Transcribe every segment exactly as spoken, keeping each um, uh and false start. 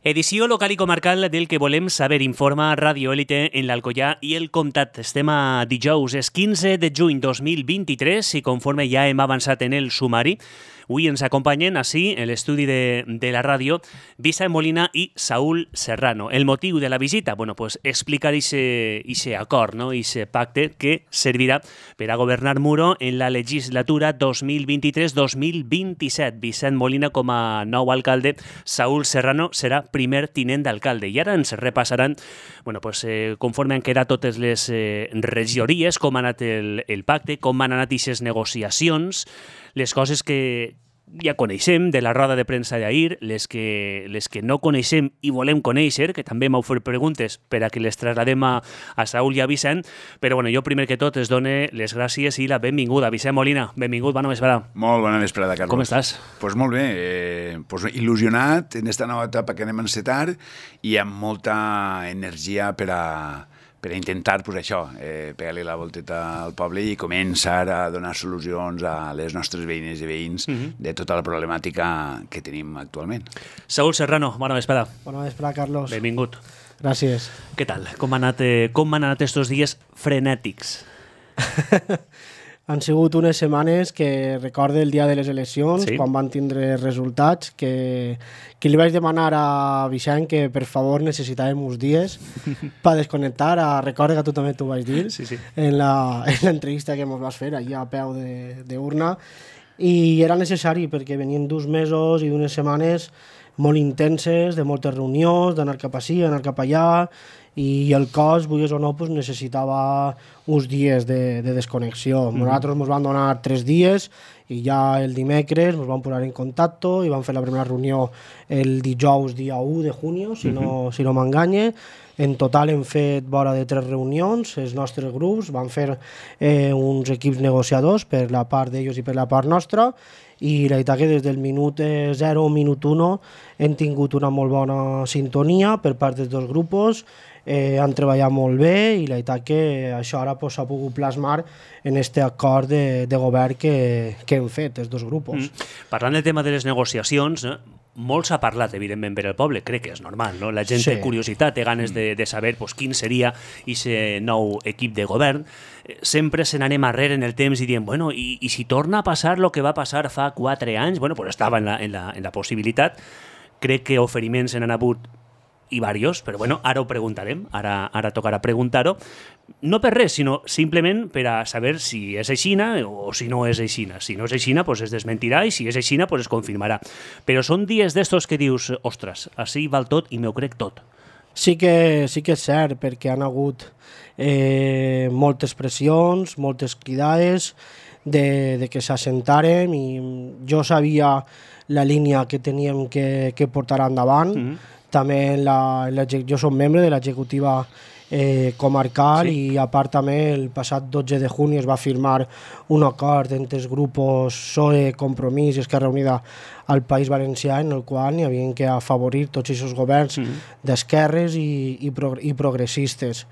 Edició local i comarcal del que volem saber, informa Radio Élite en l'Alcoià i el Comtat. Estem a dijous, és quinze de juny dos mil vint-i-tres i conforme ja hem avançat en el sumari, avui ens acompanyen així, en l'estudi de, de la ràdio, Vicent Molina i Saúl Serrano. El motiu de la visita, bueno, pues explicar aquest acord, no? Aquest pacte que servirà per a governar Muro en la legislatura dos mil vint-i-tres dos mil vint-i-set. Vicent Molina com a nou alcalde, Saúl Serrano serà primer tinent d'alcalde. I ara ens repassaran, bueno, pues, eh, conforme han quedat totes les eh, regidories, com ha anat el, el pacte, com han anat aquestes negociacions, les coses que ja coneixem de la roda de premsa d'ahir, les que, les que no coneixem i volem conèixer, que també m'heu fet preguntes per a que les trasladem a, a Saúl i a Vicent, però bueno, jo primer que tot es done les gràcies i la benvinguda. Vicent Molina, benvingut, bona vesprada. Molt bona vesprada, Carlos. Com estàs? Pues molt bé, eh, pues il·lusionat en esta nova etapa que anem a encetar i amb molta energia per a per a intentar, pues això, eh, pegar-li la volteta al poble i començar a donar solucions a les nostres veïnes i veïns uh-huh. de tota la problemàtica que tenim actualment. Saúl Serrano, bona vesprada. Bona vesprada, Carlos. Benvingut. Gràcies. Què tal? Com han anat, eh, com han anat estos dies frenètics? Han sigut unes setmanes que recorde el dia de les eleccions, sí. Quan van tindre resultats, que, que li vaig demanar a Vicent que per favor necessitàvem uns dies per desconnectar. A, recorda que tu també t'ho vaig dir sí, sí. en l'entrevista que ens vas fer allà a peu d'urna. I era necessari perquè venien dos mesos i d'unes setmanes molt intenses, de moltes reunions, d'anar cap ací, anar cap allà, i el cos, vulguis o no, pues, necessitava uns dies de, de desconnexió. Mm. Nosaltres ens van donar tres dies i ja el dimecres ens vam posar en contacte i vam fer la primera reunió el dijous dia u de juny, si no, mm-hmm. si no m'enganye. En total hem fet vora de tres reunions, els nostres grups, van fer eh, uns equips negociadors per la part d'ells i per la part nostra, i la veritat que des del minut zero o minut un hem tingut una molt bona sintonia per part dels dos grups, eh, han treballat molt bé i la veritat que això ara pues, s'ha pogut plasmar en aquest acord de, de govern que, que hem fet, els dos grups. Mm. Parlant del tema de les negociacions, eh? Molt s'ha parlat, evidentment, per al poble, crec que és normal, no? La gent sí. té curiositat, té ganes de, de saber pues, quin seria aquest nou equip de govern. Sempre se n'anem arrere en el temps i diem, bueno, i, i si torna a passar el que va passar fa quatre anys, bueno, pues estava en la, en la, en la possibilitat. Crec que oferiments se n'han hagut i varios, però bueno, ara ho preguntarem, ara, ara tocarà preguntar-ho, no per res, sinó simplement per a saber si és aixina o si no és aixina. Si no és aixina, pues es desmentirà, i si és aixina, pues es confirmarà. Però són dies d'estos que dius, ostres, així val tot i m'ho crec tot. Sí que, sí que és cert, perquè han hagut eh, moltes pressions, moltes cridades de, de que s'assentàrem, i jo sabia la línia que teníem que, que portar endavant. Mm-hmm. També la, la, jo soc membre de l'executiva eh, comarcal, sí. I a part també el passat dotze de juny es va firmar un acord entre els grups P S O E, Compromís i Esquerra Unida al País Valencià, en el qual hi havia que afavorir tots aquests governs mm. d'esquerres i, i, pro, i progressistes.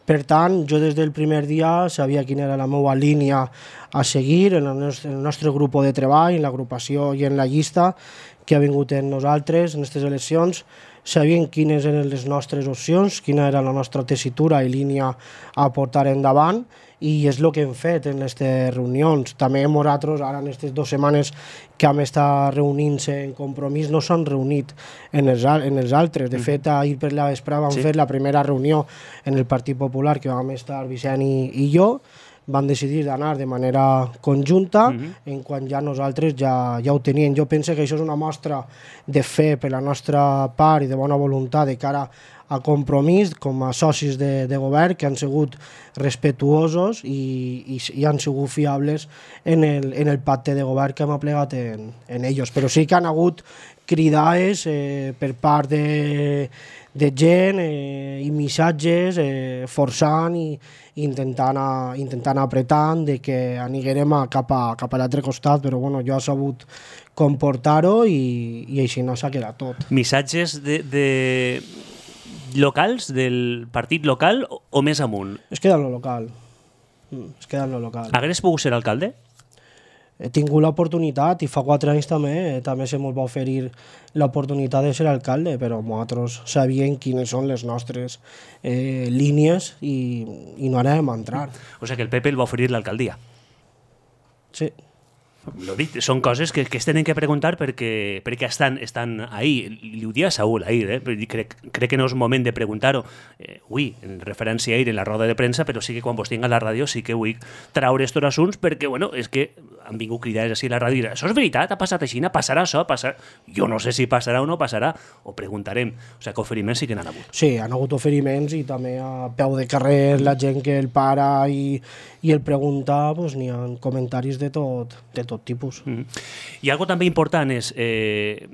Per tant, jo des del primer dia sabia quina era la meva línia a seguir en el nostre, en el nostre grup de treball, en l'agrupació i en la llista que ha vingut en nosaltres en aquestes eleccions. Sabien quines eren les nostres opcions, quina era la nostra tessitura i línia a portar endavant, i és el que hem fet en aquestes reunions. També nosaltres, ara en aquestes dues setmanes que hem estat reunint-se en Compromís, no s'han reunit en els, en els altres. De fet, ahir per la vesprada vam sí. fer la primera reunió en el Partit Popular, que vam estar Vicent i, i jo, van decidir d'anar de manera conjunta, uh-huh. en quan ja nosaltres ja, ja ho tenien. Jo penso que això és una mostra de fe per la nostra part i de bona voluntat de cara a Compromís, com a socis de, de govern, que han sigut respetuosos i, i, i han sigut fiables en el, en el pacte de govern que hem aplegat en, en ells. Però sí que han hagut cridades eh, per part de, de gent eh, i missatges eh, forçant i intentant, a, intentant apretant de que anirem a cap a, cap a l'altre costat, però bueno, jo he sabut comportar-ho i, i així no s'ha quedat tot. Missatges de, de locals, del partit local o, o més amunt? Es queda en lo local. Es queda en lo local. Hagués pogut ser alcalde? he tingut l'oportunitat i fa quatre anys també eh, també se mos va oferir l'oportunitat de ser alcalde, però nosaltres sabíem quines són les nostres eh, línies i, i no anàvem a entrar. O sigui que el P P el va oferir l'alcaldia. Sí. Lo dit, són coses que, que es tenen que preguntar perquè, perquè estan, estan ahí. Li ho dia a Saúl ahir, eh? crec, crec que no és moment de preguntar-ho eh, avui, en referència a ahir en la roda de premsa, però sí que quan vos tinc a la ràdio sí que vull traure estos assunts perquè, bueno, és que han vingut cridades així a la ràdio i això és veritat, ha passat així, passarà això, passarà... Jo no sé si passarà o no passarà, ho preguntarem. O sigui que oferiments sí que n'han hagut. Sí, han hagut oferiments i també a peu de carrer la gent que el para i, i el pregunta, pues, n'hi ha comentaris de tot, de tot tipus. Mm. I algo també important és eh,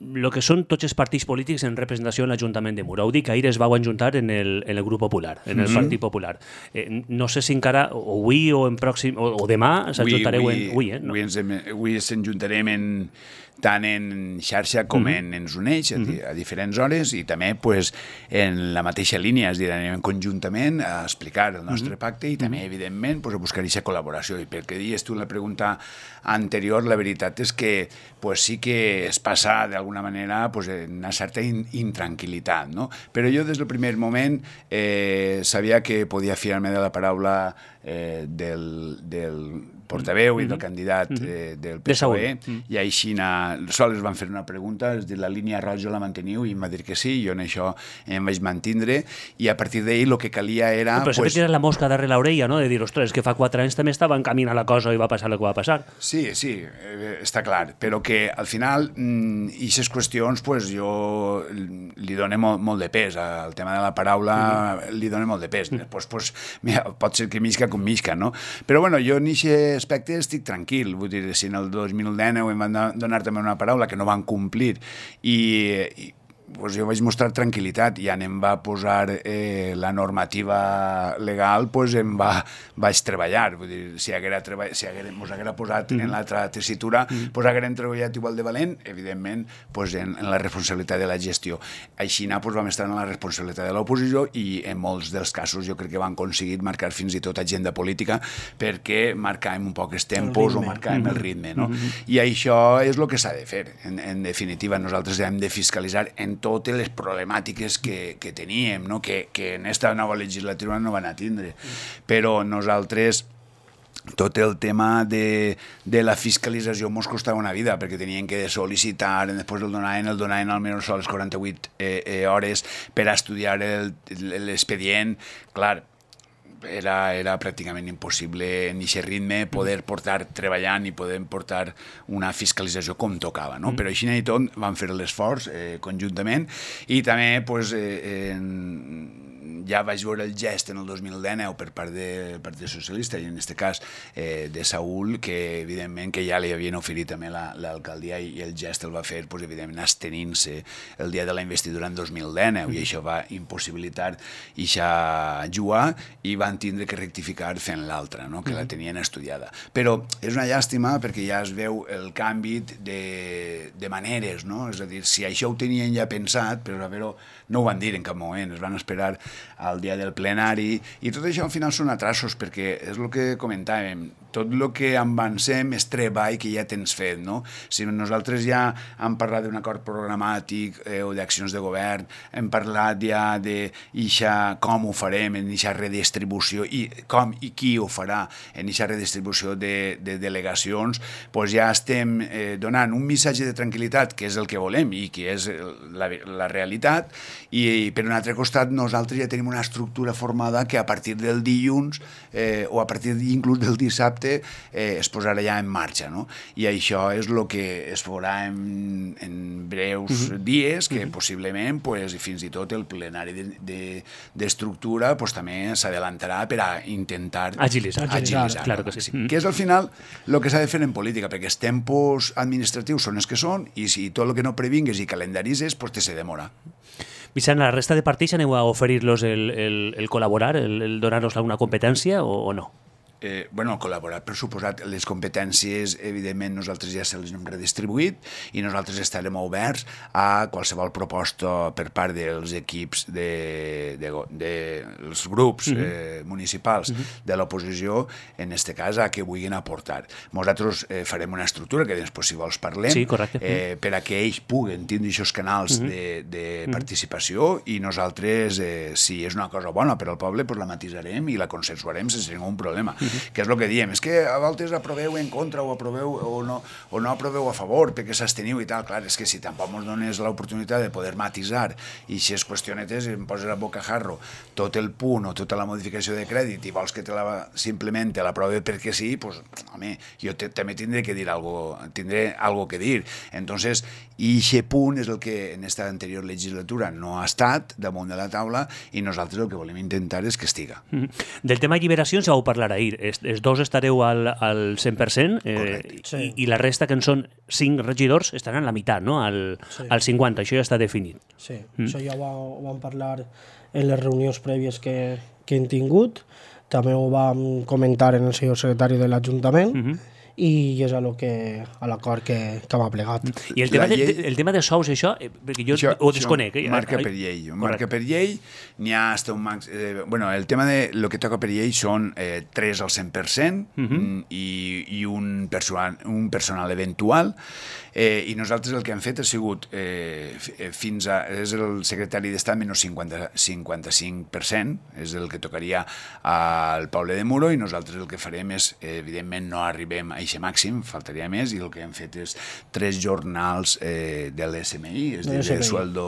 el que són tots els partits polítics en representació en l'Ajuntament de Mura. Ho dic, ahir es vau enjuntar en el, en el grup popular, en el mm-hmm. Partit Popular. Eh, no sé si encara, o avui o en pròxim, o, o demà s'ajuntareu en... Avui, eh? No? Avui ens, avui ens enjuntarem en, tant en xarxa com mm-hmm. en Ens Uneix, a, mm-hmm. a diferents hores, i també pues, en la mateixa línia, és a dir, anem conjuntament a explicar el nostre mm-hmm. pacte i també, evidentment, pues, a buscar aquesta col·laboració. I pel que dius tu en la pregunta anterior, la veritat és que pues, sí que es passa d'alguna manera pues, una certa in intranquil·litat, no? Però jo des del primer moment eh, sabia que podia fiar-me de la paraula eh, del, del portaveu mm-hmm. i del candidat eh, del P S O E, mm-hmm. i així sols van fer una pregunta, és dir, la línia roja la manteniu, i em va dir que sí, jo en això em vaig mantindre, i a partir d'ahir el que calia era... No, però pues... sempre tira la mosca darrere l'orella, no?, de dir, ostres, que fa quatre anys també estava encaminant la cosa i va passar el que va passar. Sí, sí, eh, està clar, però que al final, mm, aquestes qüestions, pues, jo li dono molt, molt de pes, al tema de la paraula mm-hmm. li dono molt de pes, mm-hmm. Després, pues, mira, pot ser que misca com misca, no? Però bueno, jo en aquest aspecte estic tranquil, vull dir, si en el dos mil dinou em van donar també una paraula que no van complir i, i pues jo vaig mostrar tranquil·litat i ja em va posar eh, la normativa legal, pues em va, vaig treballar, vull dir, si haguera treball, si haguera, mos haguera posat mm. en l'altra tessitura, mm. pues haguérem treballat igual de valent, evidentment, pues en, en la responsabilitat de la gestió. Així pues, vam estar en la responsabilitat de l'oposició i en molts dels casos jo crec que van aconseguir marcar fins i tot agenda política perquè marcàvem un poc els tempos o marcàvem mm-hmm. el ritme, no? Mm-hmm. I això és el que s'ha de fer. En, en definitiva, nosaltres hem de fiscalitzar en totes les problemàtiques que, que teníem, no? que, que en aquesta nova legislatura no van a tindre. Però nosaltres, tot el tema de, de la fiscalització mos costava una vida, perquè tenien que sol·licitar, després el donaven, el donaven almenys a les quaranta-vuit eh, eh, hores per a estudiar l'expedient. Clar, Era, era pràcticament impossible en aquest ritme poder portar treballant i poder portar una fiscalització com tocava, no? Mm. Però així i tot vam fer l'esforç eh, conjuntament i també pues, eh, en, ja vaig veure el gest en el dos mil dinou per part del Partit Socialista i en aquest cas eh, de Saúl, que evidentment que ja li havien oferit també l'alcaldia la, i el gest el va fer pues, evidentment abstenint-se el dia de la investidura en dos mil dinou mm. i això va impossibilitar ixa jugar i van tindre que rectificar fent l'altra, no? que mm. la tenien estudiada. Però és una llàstima perquè ja es veu el canvi de, de maneres, no? És a dir, si això ho tenien ja pensat, però a veure, no ho van dir en cap moment, es van esperar al dia del plenari i tot això al final són atrasos perquè és el que comentàvem, tot el que avancem és treball que ja tens fet, no? Si nosaltres ja hem parlat d'un acord programàtic eh, o d'accions de govern, hem parlat ja de ixa, com ho farem en aquesta redistribució i com i qui ho farà en aquesta redistribució de, de delegacions, doncs ja estem eh, donant un missatge de tranquil·litat, que és el que volem i que és la, la realitat, i, i per un altre costat nosaltres ja tenim una estructura formada que a partir del dilluns eh, o a partir inclús del dissabte eh, es posarà ja en marxa, no? I això és el que es farà en, en breus uh-huh. dies, que uh-huh. possiblement pues, fins i tot el plenari d'estructura de, de, pues, també s'adelantarà per a intentar agilitzar, agilitzar, agilitzar claro que sí. sí. Que és al final el que s'ha de fer en política, perquè els tempos administratius són els que són i si tot el que no previngues i calendaritzes, pues te se demora. Vicent, la resta de partits aneu a oferir-los el, el, el col·laborar, el, el donar-los alguna competència o, o no? Eh, bueno, col·laborar, per suposat, les competències, evidentment, nosaltres ja se les hem redistribuït i nosaltres estarem oberts a qualsevol proposta per part dels equips de, de, de els grups uh-huh. eh, municipals uh-huh. de l'oposició, en aquest cas, a què vulguin aportar. Nosaltres eh, farem una estructura que després, si vols, parlem, sí, correcte. eh, per a que ells puguen tindre aquests canals uh-huh. de, de uh-huh. participació i nosaltres, eh, si és una cosa bona per al poble, pues la matisarem i la consensuarem sense ningú problema. Uh-huh. Que és el que diem, és que a voltes aproveu en contra o aproveu o no, o no aproveu a favor perquè s'absteniu i tal, clar, és que si tampoc ens dones l'oportunitat de poder matisar i si és qüestionetes em poses a bocajarro tot el punt o tota la modificació de crèdit i vols que te la, simplement te l'aprove perquè sí, pues, home, jo te, també tindré que dir algo, tindré algo que dir. Entonces, i aquest punt és el que en esta anterior legislatura no ha estat damunt de la taula i nosaltres el que volem intentar és que estiga. Mm-hmm. Del tema lliberacions ja vau parlar ahir. Els, els dos estareu al, al cent per cent eh, sí. i, i la resta, que en són cinc regidors, estaran a la meitat, no? Al, sí. al cinquanta, això ja està definit. Sí, mm. això ja ho, ho vam parlar en les reunions prèvies que, que hem tingut, també ho vam comentar en el senyor secretari de l'Ajuntament, mm-hmm. i és a, lo que, a l'acord que, que m'ha plegat. I el tema, llei... de, el tema de sous, això, eh, perquè jo això, ho desconec. Eh? Marca per llei. Marca per llei, n'hi ha hasta un max... Eh, bueno, el tema de lo que toca per llei són eh, tres al cent per cent uh-huh. i, i un, personal, un personal eventual. Eh, I nosaltres el que hem fet ha sigut eh, fins a... És el secretari d'Estat menys cinquanta-cinc per cent, és el que tocaria al poble de Muro, i nosaltres el que farem és, eh, evidentment, no arribem a aquest màxim, faltaria més, i el que hem fet és tres jornals eh, de l'S M I, és a dir, de sueldo...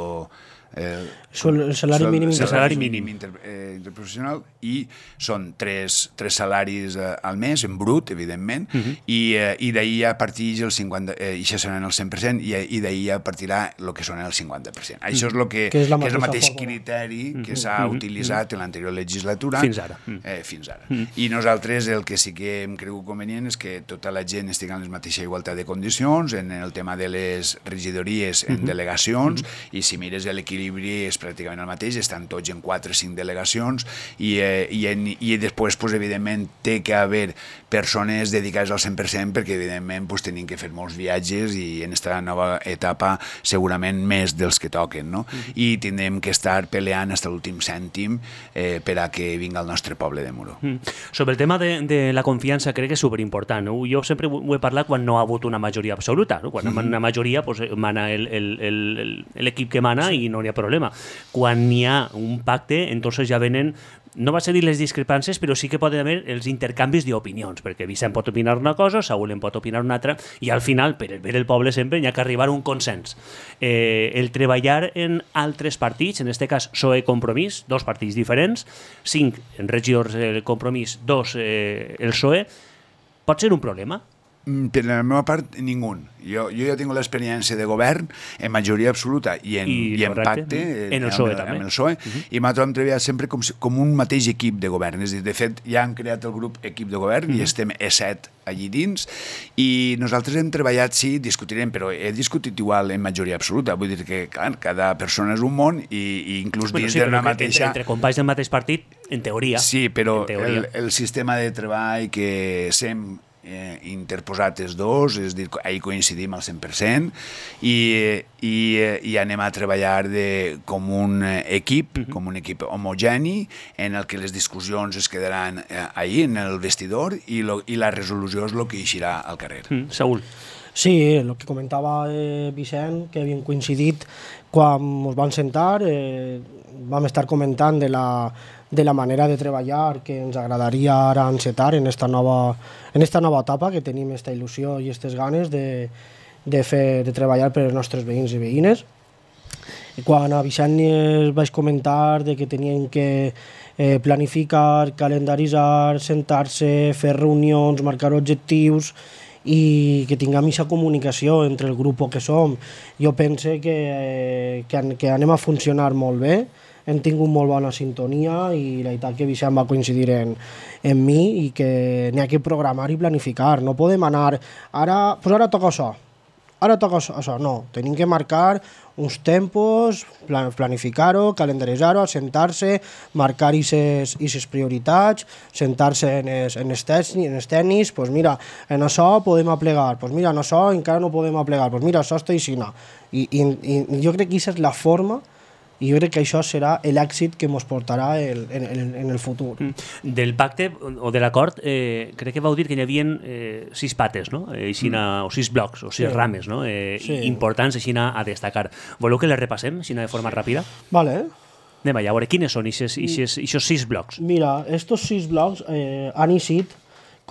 Eh, el salari mínim, el salari mínim inter, eh, interprofessional, i són tres, tres salaris eh, al mes, en brut, evidentment, uh-huh. i, eh, i d'ahir ja partix el cinquanta, eh, i això seran el cent per cent, i, i d'ahir ja partirà el que són el cinquanta per cent. Uh-huh. Això és, lo que, que, és, que és el mateix fórmula. Criteri uh-huh. que s'ha uh-huh. utilitzat uh-huh. en l'anterior legislatura. Fins ara. Eh, fins ara. Uh-huh. I nosaltres el que sí que hem cregut convenient és que tota la gent estigui en la mateixa igualtat de condicions, en el tema de les regidories en uh-huh. delegacions, uh-huh. i si mires l'equilibri és pràcticament el mateix, estan tots en quatre o cinc delegacions i, eh, i, en, i després, pues, evidentment, té que haver persones dedicades al cent per cent perquè, evidentment, pues, tenim que fer molts viatges i en aquesta nova etapa segurament més dels que toquen, no? Mm-hmm. I tindrem que estar peleant fins a l'últim cèntim eh, per a que vinga el nostre poble de Muro. Mm. Sobre el tema de, de la confiança, crec que és superimportant, no? Jo sempre ho he parlat quan no ha hagut una majoria absoluta, no? Quan mm-hmm. una majoria, pues, mana l'equip que mana i no hi ha problema. Quan hi ha un pacte, entonces ja venen, no va ser dir les discrepàncies, però sí que poden haver els intercanvis d'opinions, perquè Vicent pot opinar una cosa, Saúl en pot opinar una altra, i al final, per el bé del poble sempre, hi ha que arribar a un consens. Eh, el treballar en altres partits, en aquest cas P S O E Compromís, dos partits diferents, cinc en regidors el Compromís, dos eh, el P S O E, pot ser un problema? Per la meva part, ningú. Jo, jo ja tinc l'experiència de govern en majoria absoluta i en, I, i en pacte en el P S O E, amb, també. amb el P S O E, uh-huh. i nosaltres hem treballat sempre com, com un mateix equip de govern. És a dir, de fet, ja han creat el grup equip de govern uh-huh. i estem E set allí dins, i nosaltres hem treballat, sí, discutirem, però he discutit igual en majoria absoluta. Vull dir que, clar, cada persona és un món i, i inclús bueno, dins sí, d'una mateixa... Entre, entre companys del mateix partit, en teoria. Sí, però teoria. El, el sistema de treball que sem Eh, interposat els dos, és dir, ahir coincidim al cent per cent i, i, i anem a treballar de, com un equip, uh-huh. com un equip homogeni en el que les discussions es quedaran eh, ahir en el vestidor i, lo, i la resolució és el que eixirà al carrer. Mm, Saúl. Sí, el que comentava eh, Vicent, que havíem coincidit quan ens vam sentar, eh, vam estar comentant de la de la manera de treballar que ens agradaria ara encetar en esta nova, en esta nova etapa, que tenim esta il·lusió i aquestes ganes de, de, fer, de treballar per als nostres veïns i veïnes. I quan a Vicent es vaig comentar de que tenien que eh, planificar, calendaritzar, sentar-se, fer reunions, marcar objectius i que tinguem aquesta comunicació entre el grup que som, jo penso que, eh, que, que anem a funcionar molt bé. Hem tingut molt bona sintonia i la veritat que Vicent va coincidir en, en mi i que n'hi ha que programar i planificar. No podem anar, ara, pues ara toca això. ara toca això, no, tenim que marcar uns tempos, planificar-ho, calendaritzar-ho, sentar-se, marcar aquestes prioritats, sentar-se en els, en els tècnics, en els tècnics, pues mira, en això podem aplegar, pues mira, en això encara no podem aplegar, pues mira, això està així. I, i, i jo crec que aquesta és la forma i jo crec que això serà l'èxit que ens portarà el, en, en, en el futur. Del pacte o de l'acord, eh, crec que vau dir que hi havia eh, sis pates, no? Eh, aixina, mm. o sis blocs, o sis sí. rames, no? Eh, sí. importants aixina a destacar. Voleu que les repassem, aixina de forma sí. ràpida? Vale. Anem allà, a veure, quines són aquests sis blocs? Mira, estos sis blocs eh, han eixit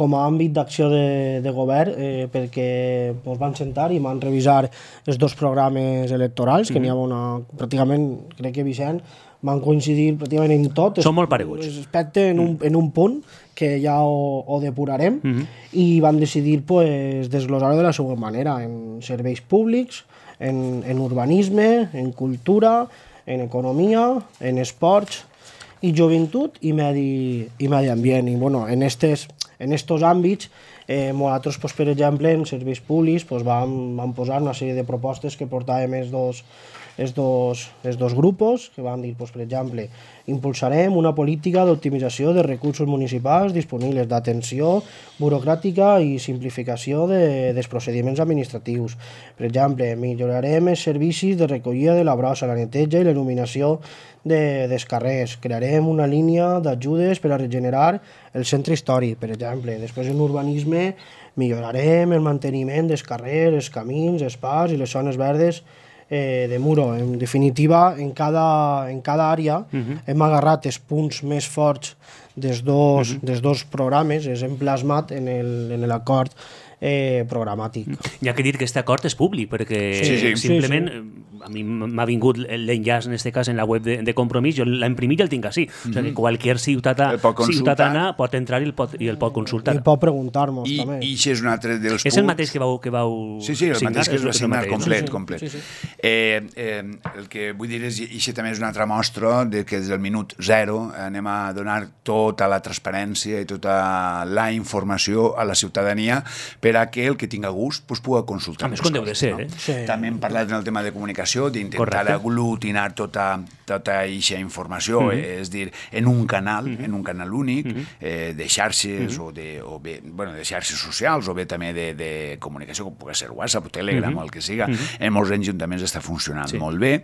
com a àmbit d'acció de, de govern eh, perquè ens van sentar i van revisar els dos programes electorals, que mm-hmm. n'hi ha una, pràcticament, crec que Vicent, van coincidir pràcticament en tot. Són molt pareguts. Respecte en un, en un punt que ja ho, ho depurarem mm-hmm. i van decidir pues, desglosar-ho de la següent manera, en serveis públics, en, en urbanisme, en cultura, en economia, en esports i joventut i medi, i medi ambient. I bueno, en estes En estos àmbits, eh, nosaltres, pues, per exemple, en serveis públics, pues, vam, vam posar una sèrie de propostes que portàvem els dos, els dos, els dos grupos, que van dir, pues, per exemple, impulsarem una política d'optimització de recursos municipals disponibles, d'atenció burocràtica i simplificació de, dels procediments administratius. Per exemple, millorarem els servicis de recollida de la brossa, la neteja i l'il·luminació de, dels carrers. Crearem una línia d'ajudes per a regenerar el centre històric, per exemple. Després, en urbanisme, millorarem el manteniment dels carrers, els camins, els parcs i les zones verdes eh, de Muro. En definitiva, en cada, en cada àrea uh-huh. hem agarrat els punts més forts dels dos, uh-huh. dels dos programes, els hem plasmat en l'acord eh, programàtic. Hi ha que dir que aquest acord és públic, perquè sí, sí, simplement sí, sí. a mi m'ha vingut l'enllaç, en aquest cas, en la web de, de Compromís, jo l'he imprimit i el tinc així. Mm-hmm. O sigui que qualsevol ciutadà, ciutadana pot entrar i el pot, i el pot consultar. I pot preguntar-nos, I, també. I això és un altre dels punts... És el mateix que vau, que vau Sí, sí, el signar, mateix que es va signar, complet, sí, sí. complet. Sí, sí. Eh, eh, el que vull dir és, i això també és una altra mostra de que des del minut zero anem a donar tota la transparència i tota la informació a la ciutadania per a que el que tinga gust pues, pugui consultar. A més, com deu de ser, no? eh? Sí. També hem parlat en el tema de comunicació, d'intentar aglutinar tota tota aquesta informació, mm-hmm. és dir, en un canal, mm-hmm. en un canal únic, mm-hmm. eh, de xarxes mm-hmm. o, de, o bé, bueno, de xarxes socials o bé també de, de comunicació, com pugui ser WhatsApp o Telegram mm-hmm. o el que siga. Mm-hmm. En molts ajuntaments està funcionant sí. molt bé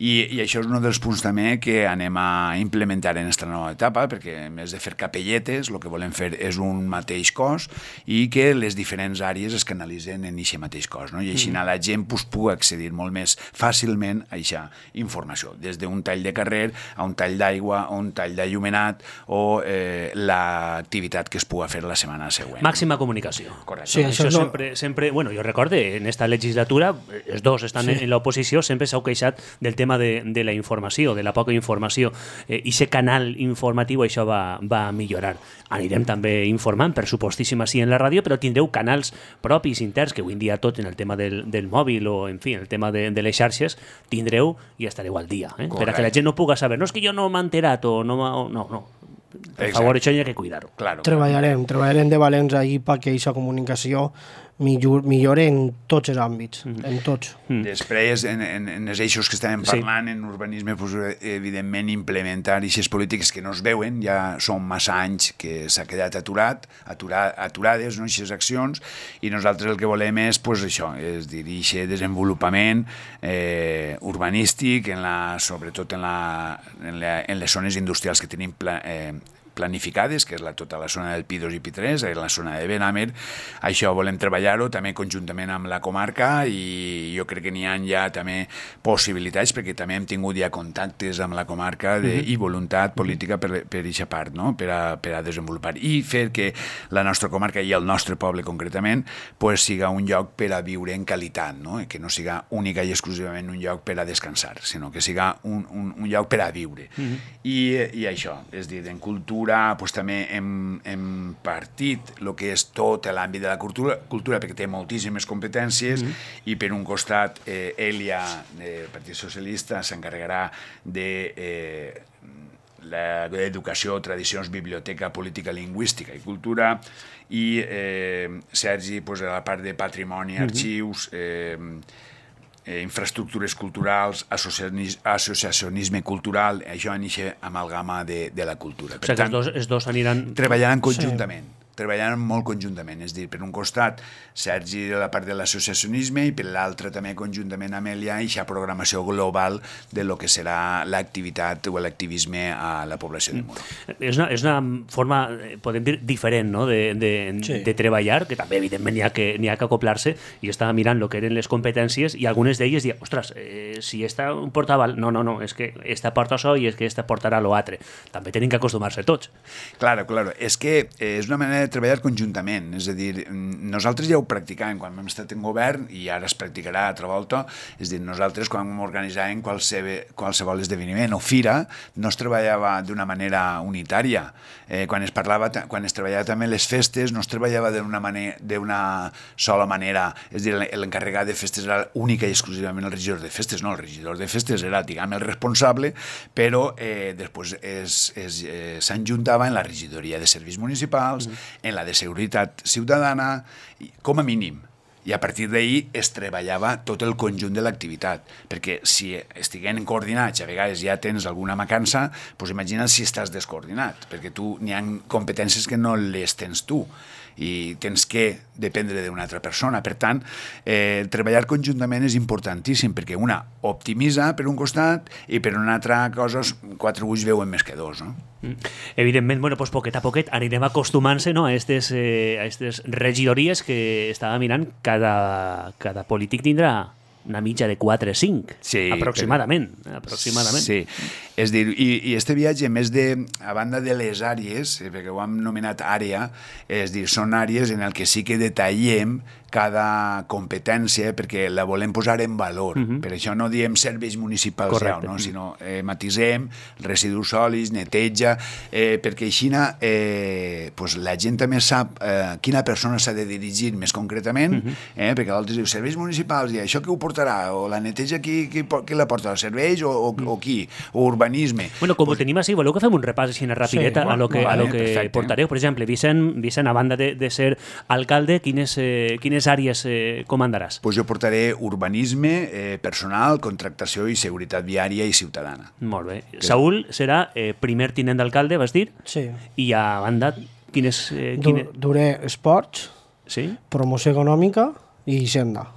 i, i això és un dels punts també que anem a implementar en aquesta nova etapa, perquè a més de fer capelletes, el que volem fer és un mateix cos i que les diferents àrees es canalitzen en aquest mateix cos, no? I així mm-hmm. la gent pues, pugui accedir molt més fàcilment a aquesta informació, des d'un tall de carrer a un tall d'aigua, a un tall d'allumenat o eh, l'activitat que es pugui fer la setmana següent. Màxima comunicació. Correcte. Sí, això, això sempre, sempre, bueno, jo recorde, en esta legislatura, els dos estan sí. en l'oposició, sempre s'heu queixat del tema de, de la informació, de la poca informació. Eh, I aquest canal informatiu, això va, va millorar. Anirem també informant, per supostíssim, així en la ràdio, però tindreu canals propis, interns, que avui en dia tot en el tema del, del mòbil o, en fi, en el tema de, de les xarxes, tindreu i estareu al dia. Eh? Per a que la gent no puga saber, no és que jo no m'he enterat o no... O, no, no. Per Exacte. favor, això hi ha que cuidar-ho. Claro, treballarem, claro. treballarem de valents ahir perquè aquesta comunicació millor, millore en tots els àmbits, mm. en tots. Mm. Després, en, en, en els eixos que estàvem parlant, sí. en urbanisme, pues, evidentment, implementar aquestes polítiques que no es veuen, ja són massa anys que s'ha quedat aturat, aturar, aturades, no, aquestes accions, i nosaltres el que volem és, pues, això, és dir, aquest desenvolupament eh, urbanístic, en la, sobretot en, la, en, la, en les zones industrials que tenim pla, eh, planificades, que és la, tota la zona del Pi dos i Pi tres, la zona de Benamer. Això volem treballar-ho també conjuntament amb la comarca i jo crec que n'hi ha ja també possibilitats, perquè també hem tingut ja contactes amb la comarca de, mm-hmm. i voluntat política per aquesta part, no? per, a, per a desenvolupar i fer que la nostra comarca i el nostre poble concretament pues, siga un lloc per a viure en qualitat, no? Que no siga única i exclusivament un lloc per a descansar, sinó que siga un, un, un lloc per a viure. Mm-hmm. I, i això, és dir, en cultura pues, també hem, hem partit el que és tot l'àmbit de la cultura, cultura perquè té moltíssimes competències mm-hmm. i per un costat eh, Elia, del Partit Socialista, s'encarregarà de eh, l'educació, tradicions, biblioteca, política, lingüística i cultura, i eh, Sergi, pues, a la part de patrimoni, arxius, eh, eh, infraestructures culturals, associacionisme cultural, això anixa amalgama de, de la cultura. Per o sigui tant, que els dos, els dos aniran... Treballaran conjuntament. Sí. treballaran molt conjuntament, és a dir, per un costat Sergi de la part de l'associacionisme i per l'altre també conjuntament amb ell hi ha aquesta programació global de lo que serà l'activitat o l'activisme a la població de Muro. És una, és una forma, podem dir, diferent, no?, de, de, sí. de treballar, que també evidentment n'hi ha que, n'hi ha que acoplar-se. I estava mirant el que eren les competències i algunes d'elles diuen, ostres, eh, si esta portava... No, no, no, és que esta porta això i és que esta portarà l'altre. També tenim que acostumar-se tots. Claro, claro. És que és una manera de treballar conjuntament, és a dir, nosaltres ja ho practicàvem quan vam estar en govern i ara es practicarà a altra volta, és a dir, nosaltres quan organitzàvem qualsevol, qualsevol esdeveniment o fira no es treballava d'una manera unitària, eh, quan es parlava, quan es treballava també les festes no es treballava d'una manera, d'una sola manera, és a dir, l'encarregat de festes era única i exclusivament el regidor de festes, no, el regidor de festes era, diguem, el responsable, però eh, després eh, s'enjuntava en la regidoria de serveis municipals, mm. en la de seguretat ciutadana, com a mínim. I a partir d'ahir es treballava tot el conjunt de l'activitat, perquè si estiguem coordinats, a vegades ja tens alguna mancança, doncs imagina't si estàs descoordinat, perquè tu n'hi ha competències que no les tens tu i tens que dependre d'una altra persona. Per tant, eh, treballar conjuntament és importantíssim, perquè una optimitza per un costat i per una altra cosa quatre ulls veuen més que dos, no? Evidentment, bueno, pues poquet a poquet anirem acostumant-se, no, a aquestes eh, a aquestes regidories que estava mirant. Cada, cada polític tindrà una mitja de quatre o cinc, sí, aproximadament. Però... aproximadament. Sí, és dir, i, i este viatge, més de, a banda de les àrees, perquè ho hem nomenat àrea, és dir, són àrees en el que sí que detallem cada competència, perquè la volem posar en valor. Uh-huh. Per això no diem serveis municipals, ja, no? Sinó eh, matisem, residus sòlids, neteja, eh, perquè així eh, pues la gent també sap eh, quina persona s'ha de dirigir més concretament, uh-huh. eh, perquè l'altre diu serveis municipals, i això qui ho portarà? O la neteja qui, qui, qui la porta? Els serveis o, o, uh-huh. o qui? O urbanisme? Bueno, com pues... ho tenim així, voleu que fem un repàs així rapideta sí, a lo que, vale, a lo que portareu? Per exemple, Vicent, Vicent, a banda de, de ser alcalde, quines, eh, quines àrees eh, comandaràs? Pues jo portaré urbanisme, eh, personal, contractació i seguretat viària i ciutadana. Molt bé. Que... Saúl serà eh, primer tinent d'alcalde, vas dir? Sí. I a banda, quines... Eh, quines... Du duré esports, sí? Promoció econòmica i hisenda.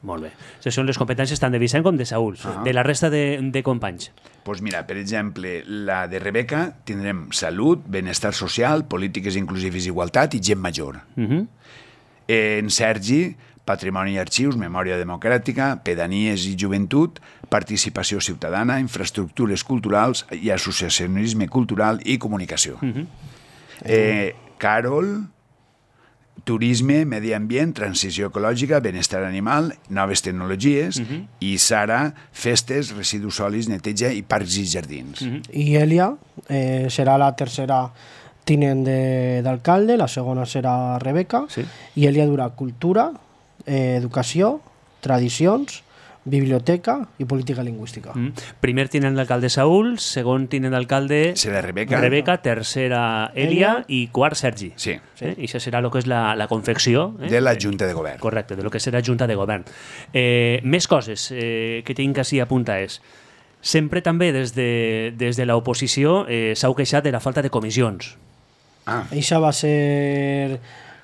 Molt bé. Aquestes són les competències tant de Vicent com de Saúl. Uh-huh. De la resta de, de companys. Doncs pues mira, per exemple, la de Rebeca tindrem salut, benestar social, polítiques inclusives i igualtat i gent major. Uh-huh. En Sergi, patrimoni i arxius, memòria democràtica, pedanies i joventut, participació ciutadana, infraestructures culturals i associacionisme cultural i comunicació. Uh-huh. eh, Carol... turisme, medi ambient, transició ecològica, benestar animal, noves tecnologies, uh-huh. i Sara, festes, residus sòlids, neteja i parcs i jardins. Uh-huh. I Elia eh, serà la tercera tinent d'alcalde, la segona serà Rebeca, sí. I Elia durà cultura, eh, educació, tradicions, biblioteca i política lingüística. Mm. Primer tinent d'alcalde Saúl, segon tinent d'alcalde serà Rebeca, Rebeca, tercera Elia, Elia i quart Sergi. Sí. Eh? I això serà el que és la, la confecció eh? de la Junta de Govern. Correcte, de lo que serà Junta de Govern. Eh, més coses eh, que tinc així a apuntar és, sempre també des de, des de l'oposició eh, s'heu queixat de la falta de comissions. Ah. Eixa va ser...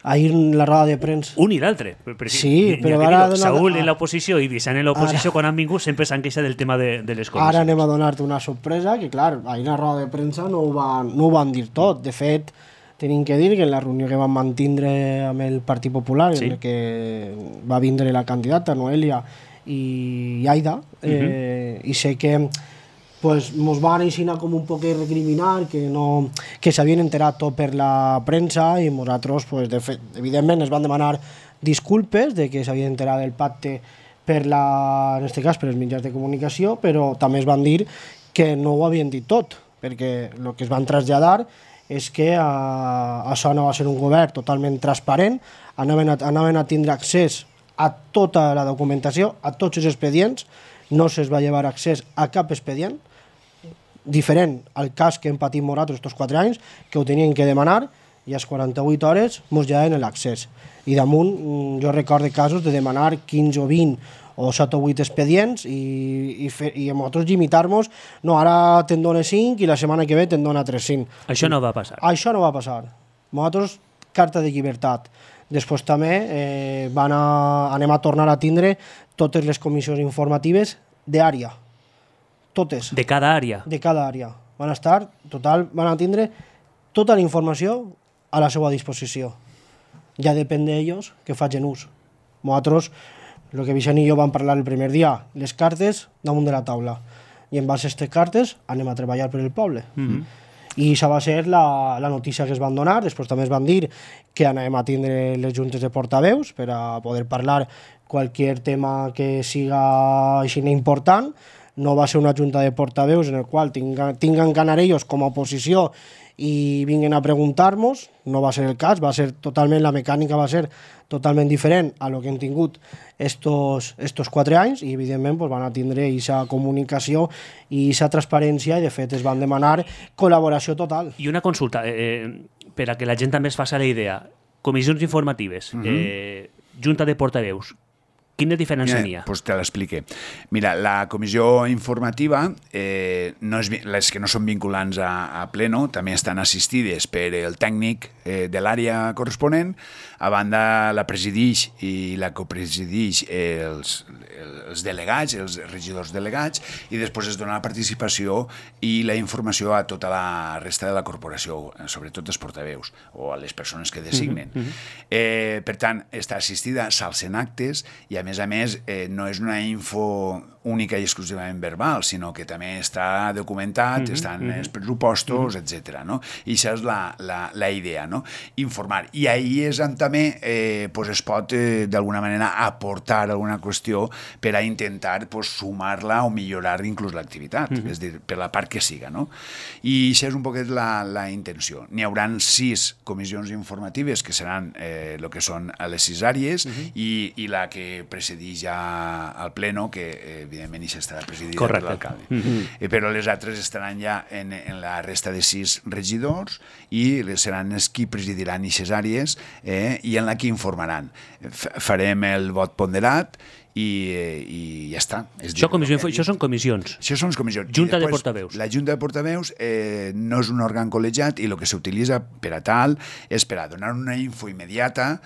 ahir en la roda de premsa. Un i l'altre. Sí, però ara... Donar... Saúl en l'oposició i Vicent en l'oposició, ara... quan han vingut, sempre s'han queixat del tema de, de les comissions. Ara anem a donar-te una sorpresa, que clar, ahir en la roda de premsa no ho van, no ho van dir tot. De fet, tenim que dir que en la reunió que vam mantindre amb el Partit Popular, sí. En el que va vindre la candidata, Noelia i Aida, uh-huh. eh, i sé que pues mos van ensinar com un poc recriminar que no que s'havien enterat tot per la premsa i nosaltres, pues, de fet, evidentment es van demanar disculpes de que s'havia enterat del pacte per la, en aquest cas per els mitjans de comunicació, però també es van dir que no ho havien dit tot, perquè el que es van traslladar és que a, això no va ser un govern totalment transparent, anaven a, anaven a tindre accés a tota la documentació, a tots els expedients, no se'ls va llevar accés a cap expedient, diferent al cas que hem patit nosaltres aquests quatre anys, que ho tenien que demanar i a les quaranta-vuit hores ens lleven l'accés. I damunt jo recordo casos de demanar quinze o vint o set o vuit expedients i, i, fer, i nosaltres limitar-nos, no, ara te'n dona cinc i la setmana que ve te'n dona tres cinc. Això no va passar. Això no va passar. Nosaltres, carta de llibertat. Després també eh, van a, anem a tornar a tindre totes les comissions informatives d'àrea. Totes. De cada àrea? De cada àrea. Van estar, total, van a tindre tota la informació a la seva disposició. Ja depèn d'ells que facin ús. Nosaltres, el que Vicent i jo vam parlar el primer dia, les cartes damunt de la taula. I en base a aquestes cartes anem a treballar per el poble. Mm-hmm. I això va ser la, la notícia que es van donar. Després també es van dir que anem a tindre les juntes de portaveus per a poder parlar qualsevol tema que siga així important. No va ser una junta de portaveus en el qual tinga, tinguen que anar ells com a oposició i vinguin a preguntar-nos. No va ser el cas, va ser totalment, la mecànica va ser totalment diferent a lo que hem tingut estos, estos quatre anys i evidentment pues, van a tindre aquesta comunicació i aquesta transparència i de fet es van demanar col·laboració total. I una consulta, eh, per a que la gent també es faci la idea. Comissions informatives, mm-hmm. eh, junta de portaveus, quina diferència n'hi ha? Pues te l'explique. Mira, la comissió informativa, eh, no és, les que no són vinculants a, a pleno, també estan assistides per el tècnic eh, de l'àrea corresponent, a banda la presidix i la copresidix eh, els, els delegats, els regidors delegats, i després es dona la participació i la informació a tota la resta de la corporació, sobretot els portaveus o a les persones que designen. Mm-hmm. eh, per tant, està assistida, s'alcen actes i a més a més, eh, no és una info única i exclusivament verbal, sinó que també està documentat, mm-hmm, estan mm-hmm. els pressupostos, mm-hmm. etcètera. No? I això és la, la, la idea, no? Informar. I ahir és on també eh, pues es pot, eh, d'alguna manera, aportar alguna qüestió per a intentar pues, sumar-la o millorar inclús l'activitat, mm-hmm. és a dir, per la part que siga. No? I això és un poquet la, la intenció. N'hi haurà sis comissions informatives que seran eh, el que són a les sis àrees mm-hmm. i, i la que precedeix ja al pleno, que eh, evidentment això estarà presidida per l'alcalde. Mm-hmm. eh, però les altres estaran ja en, en la resta de sis regidors i seran els qui presidiran aquestes àrees eh, i en la que informaran. F farem el vot ponderat i, i ja està. És això, dir, comissió, això són comissions. Això són comissions. Junta després, de portaveus. La Junta de portaveus eh, no és un òrgan col·legiat i el que s'utilitza per a tal és per a donar una info immediata,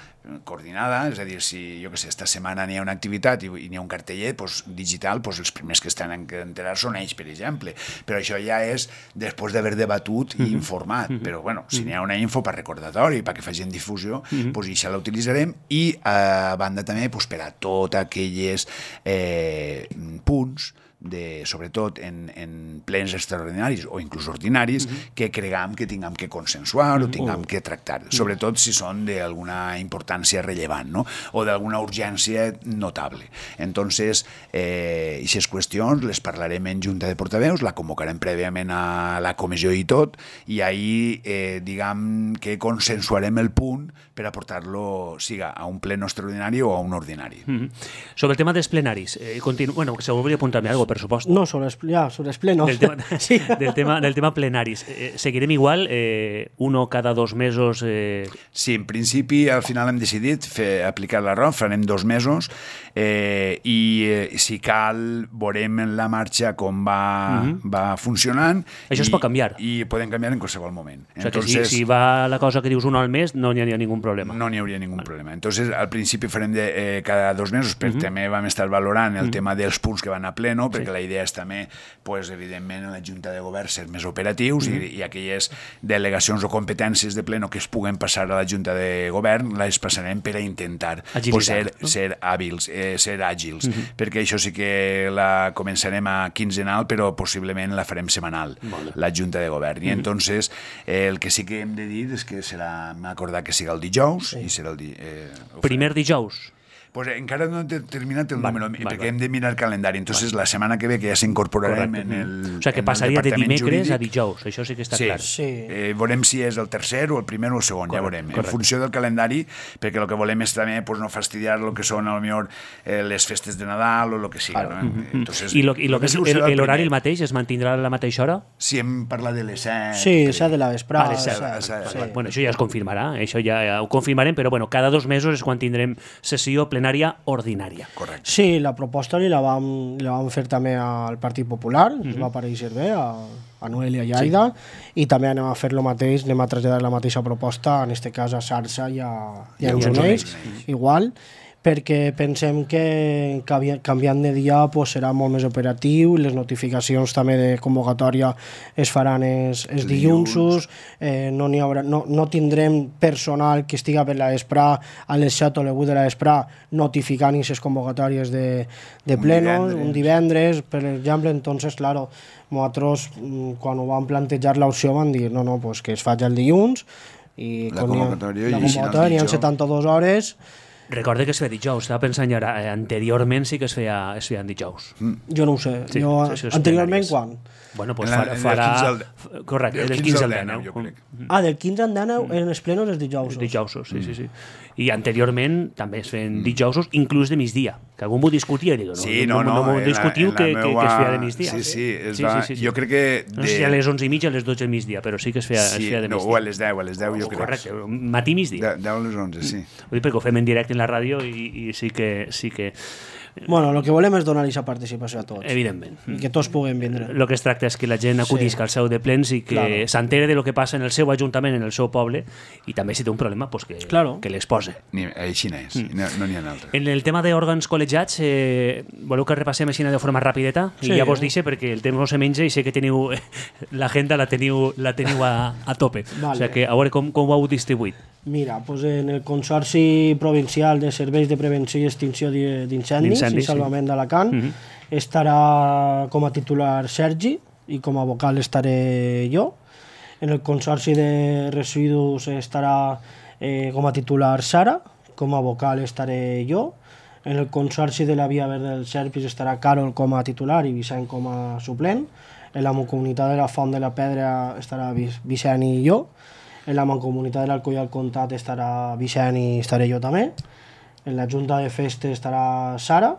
coordinada, és a dir, si jo que sé, esta setmana n'hi ha una activitat i, i n'hi ha un carteller pues, digital, pues, els primers que estan a enterar són ells, per exemple. Però això ja és després d'haver debatut i informat. Mm-hmm. Però, bueno, si n'hi ha una info per recordatori, perquè facin difusió, mm-hmm. pues, això la utilitzarem i, a banda també, pues, per a tots aquells eh, punts de, sobretot en, en plens extraordinaris o inclús ordinaris, mm-hmm. que cregam que tinguem que consensuar mm-hmm. o tinguem que tractar, sobretot si són d'alguna importància rellevant, no? O d'alguna urgència notable. Entonces, eh, aquestes qüestions les parlarem en Junta de Portaveus, la convocarem prèviament a la comissió i tot, i ahir, eh, diguem que consensuarem el punt per aportar-lo, siga a un pleno extraordinari o a un ordinari. Mm-hmm. Sobre el tema dels plenaris, eh, continu... bueno, que se volia apuntar-me alguna cosa, per supost. No, sobre els, ja, sobre els plenos. Del tema, sí. del tema, del tema plenaris. Eh, seguirem igual, eh, uno cada dos mesos? Eh... Sí, en principi, al final hem decidit fer, aplicar la R O F, farem dos mesos, eh, i eh, si cal, veurem en la marxa com va, uh-huh. va funcionant. Això i, es pot canviar. I podem canviar en qualsevol moment. O sigui Entonces, que si, si va la cosa que dius uno al mes, no n'hi ha ningú problema. No n'hi hauria ningú vale. problema. Entonces, al principi farem de, eh, cada dos mesos, però uh-huh. també vam estar valorant el uh-huh. tema dels punts que van a pleno, perquè sí. la idea és també, pues, evidentment, en la Junta de Govern ser més operatius mm. i, i aquelles delegacions o competències de pleno que es puguen passar a la Junta de Govern les passarem per a intentar pues, ser, no? ser hàbils, eh, ser àgils, mm-hmm. perquè això sí que la començarem a quinzenal, però possiblement la farem setmanal, vale. la Junta de Govern. I mm-hmm. entonces eh, el que sí que hem de dir és que serà, m'acordar que siga el dijous, sí. i serà el di, eh, primer dijous. Pues encara no he terminat el Vale, número, vale, perquè vale. hem de mirar el calendari. Entonces, la setmana que ve, que ja s'incorporarem Correcte. en el O sigui, que en el passaria de departament dimecres a jurídic. dijous, això sí que està Sí, clar. Sí. Eh, veurem si és el tercer o el primer o el segon, Correcte, ja veurem. correcte. En funció del calendari, perquè el que volem és també pues, no fastidiar el que són, a lo millor, eh, les festes de Nadal o el que sigui. Claro. No? Entonces, I, lo, i lo que és segur serà el- l'horari primer. el mateix es mantindrà a la mateixa hora? Si hem parlat de les set... Sí, s'ha de la vesprada. Vale, set, s'ha- set, sí. vale. Bueno, això ja es confirmarà, això ja ho confirmarem, però bueno, cada dos mesos és quan tindrem sessió plenària ordinària. Correcte. Sí, la proposta li la vam, li la vam fer també al Partit Popular, mm -hmm. ens va pareixer bé, a, a Noelia i a Aida, sí. I també anem a fer el mateix, anem a traslladar la mateixa proposta, en aquest cas a Sarsa i a, i a I a Enjuneix, Enjuneix. igual, perquè pensem que canvi- canviant de dia pues, serà molt més operatiu, les notificacions també de convocatòria es faran els, els dilluns, eh, no, n'hi haurà, no, no tindrem personal que estiga per la vesprà a les set o les vuit de la vesprà notificant aquestes convocatòries de, de Un plenos, divendres. un divendres, per exemple, entonces, claro, nosaltres, mm, quan ho vam plantejar l'opció, vam dir, no, no, pues que es faci el dilluns, i La quan hi ha- convocatòria la i si no el convocatòria, n'hi ha dijous. setanta-dues hores. Recorde que es feia dijous, estava pensant ara, eh, anteriorment sí que es feia, es feia en dijous. Jo no ho sé. Sí, jo, sí, sí, els anteriorment, plenaris. quan? Bueno, pues En la- farà... en el farà quinze al de- f- Correcte, del del quinze quinze al al deu, deu. jo crec. Ah, del quinze al deu en els plenos els dijous. Dijousos, sí, sí, sí. I anteriorment també es feien dijousos, inclús de migdia, que algú m'ho discutia, dic, no, Sí, no, no, no. no, m'ho en la- discutiu en la que, que, que es feia de meua- migdia. Sí, sí, es Sí, va... sí, sí, sí. Jo crec que... No sé si a les onze i mitja o a les dotze del migdia, però sí que es feia, es Sí, feia de no, migdia. o a les deu, a les deu, jo crec. Correcte, matí i migdia. De, deu a les onze, sí. Ho dic perquè ho fem en directe en la ràdio i, i sí que... Sí que Bueno, el que volem és donar aquesta participació a tots. evidentment. I que tots puguem vindre. El que es tracta és que la gent acudisca al seu de plens i que Claro. s'entere de lo que passa en el seu ajuntament, en el seu poble, i també si té un problema, pues que, Claro. que l'expose. Ni, així n'és, no no n'hi ha altre. En el tema d'òrgans col·legiats, eh, voleu que repassem així de forma rapideta? I Sí. ja vos dice perquè el temps no se menja i sé que teniu l'agenda la teniu, la teniu a, a tope. Vale. O sigui que a veure com, com ho heu distribuït. Mira, pues en el Consorci Provincial de Serveis de Prevenció i Extinció d'I- d'Incendis i D'incendis, sí. Salvament d'Alacant Mhm. estarà com a titular Sergi i com a vocal estaré jo. En el Consorci de Residus estarà eh, com a titular Sara, com a vocal estaré jo. En el Consorci de la Via Verde del Serpis estarà Carol com a titular i Vicent com a suplent. En la Mancomunitat de la Font de la Pedra estarà Vic- Vicent i jo. En la Mancomunitat de l'Alcoy al Comtat estarà Vicent i estaré jo també. En la Junta de Festes estarà Sara.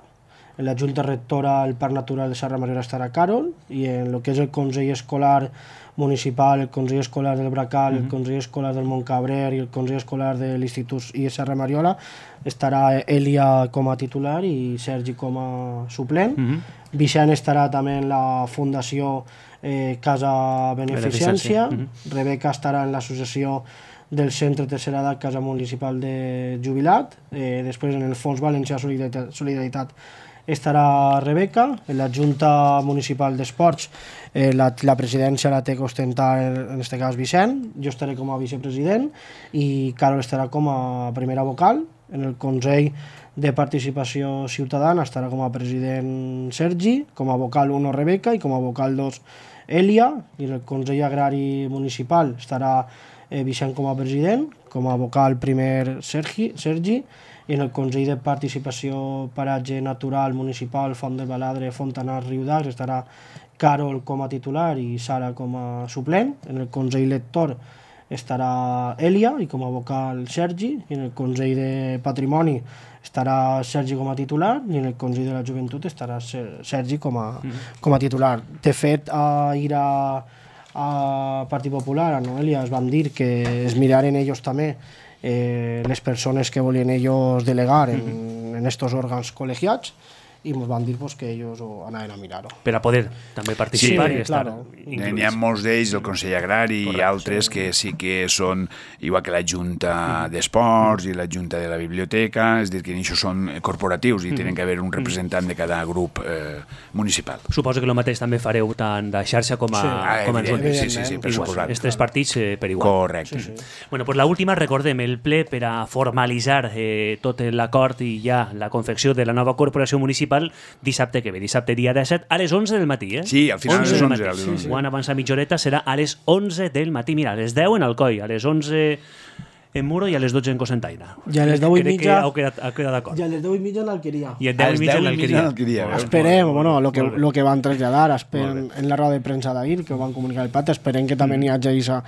En la Junta Rectora del Parc Natural de Serra Mariona estarà Carol. I en el que és el Consell Escolar Municipal, el Consell Escolar del Bracal, el Consell Escolar del Montcabrer i el Consell Escolar de l'Institut I Serra Mariola estarà Elia com a titular i Sergi com a suplent. Mhm. Vicent estarà també en la Fundació eh, Casa Beneficència. Beneficència, Rebeca estarà en l'associació del Centre Tercera Edat Casa Municipal de Jubilat. Eh, després en el Fons Valencià Solidaritat, Solidaritat estarà Rebeca. En la Junta Municipal d'Esports eh, la, la presidència la té que ostentar en aquest cas Vicent. Jo estaré com a vicepresident i Carol estarà com a primera vocal. En el Consell de Participació Ciutadana estarà com a president Sergi, com a vocal uno Rebeca i com a vocal dos Elia, i en el Consell Agrari Municipal estarà eh, Vicent com a president, com a vocal primer Sergi, Sergi, i en el Consell de Participació Paratge Natural Municipal Font del Baladre, Fontanars, Riudacs estarà Carol com a titular i Sara com a suplent. En el Consell Lector estarà Elia i com a vocal Sergi, i en el Consell de Patrimoni estarà Sergi com a titular i en el Consell de la Joventut estarà Sergi com a, com a titular. De fet, a ir a, a Partit Popular, a Noelia, es van dir que es miraren ells també eh, les persones que volien ells delegar en, en estos òrgans col·legiats i ens van dir pues, que ells ho anaven a mirar-ho. Per a poder també participar Sí, i estar claro. inclús. N'hi ha molts d'ells del Consell Agrari Correcte, i altres que sí que són, igual que la Junta d'Esports i la Junta de la Biblioteca, és a dir, que això són corporatius i tenen que haver un representant de cada grup eh, municipal. Suposo que el mateix també fareu tant de xarxa com a, Sí. Ah, com a evident, Junta. sí, sí, sí, per Igual, suposat. els tres partits eh, per igual. Correcte. Sí, sí. Bueno, pues la última, recordem, el ple per a formalitzar eh, tot l'acord i ja la confecció de la nova corporació municipal dissabte que ve, dissabte dia disset, a les onze del matí, eh? Sí, al final a les del onze, matí. a les onze. Quan avança mitja horeta serà a les onze del matí. Mira, a les deu en Alcoi, a les onze en Muro i a les dotze en Cocentaina. I a les deu i Crec mitja... que heu quedat, heu quedat d'acord. I a les deu i mitja en l'Alqueria. I a deu i mitja en l'Alqueria. l'Alqueria. Esperem, bueno, lo que, lo que van traslladar esperen, en la roda de premsa d'ahir, que ho van comunicar el Pat, esperem que també n'hi hagi aquesta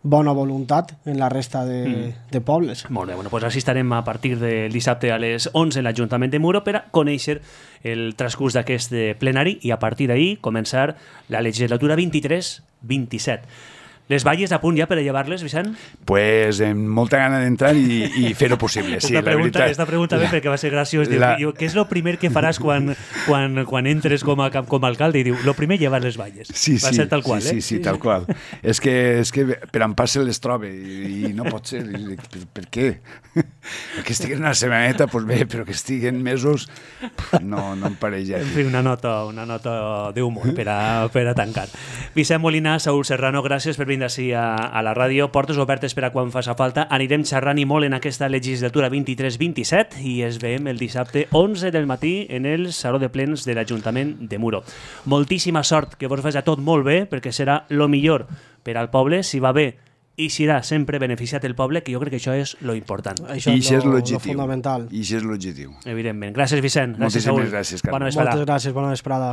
bona voluntat en la resta de, mm. de pobles. Molt bé, bueno, pues així estarem a partir del dissabte a les onze en l'Ajuntament de Muro per a conèixer el transcurs d'aquest plenari i a partir d'ahir començar la legislatura vint-i-tres vint-i-set. Les valles a punt ja per a llevar-les, Vicent? Pues amb molta gana d'entrar i, i fer-ho possible. Sí, esta pregunta, la veritat, esta pregunta ve perquè va ser graciós. Diu, la... diu, què és el primer que faràs quan, quan, quan entres com a, com a alcalde? I diu, el primer llevar les valles. Sí, va sí, ser tal qual, sí, eh? sí, sí, tal qual. és, que, és que per en pas se les troba i, i no pot ser. I dic, per, per què? Que estiguen una setmaneta, doncs bé, però que estiguen mesos, no, no em pareix En fi, una nota, una nota d'humor per, a, per a tancar. Vicent Molina, Saúl Serrano, gràcies per venir així a, a la ràdio. Portes obertes per a quan faci falta. Anirem xerrant i molt en aquesta legislatura vint-i-tres vint-i-set i es veiem el dissabte onze del matí en el Saló de Plens de l'Ajuntament de Muro. Moltíssima sort, que vos faci a tot molt bé, perquè serà lo millor per al poble, si va bé i serà sempre beneficiat el poble, que jo crec que això és lo important. Això I és això és lo, l'objectiu. lo fundamental. I això és l'objectiu. Evidentment. Gràcies, Vicent. Gràcies, Moltíssimes Saúl. gràcies, Carme. Bona vesprada. Moltes gràcies, bona vesprada.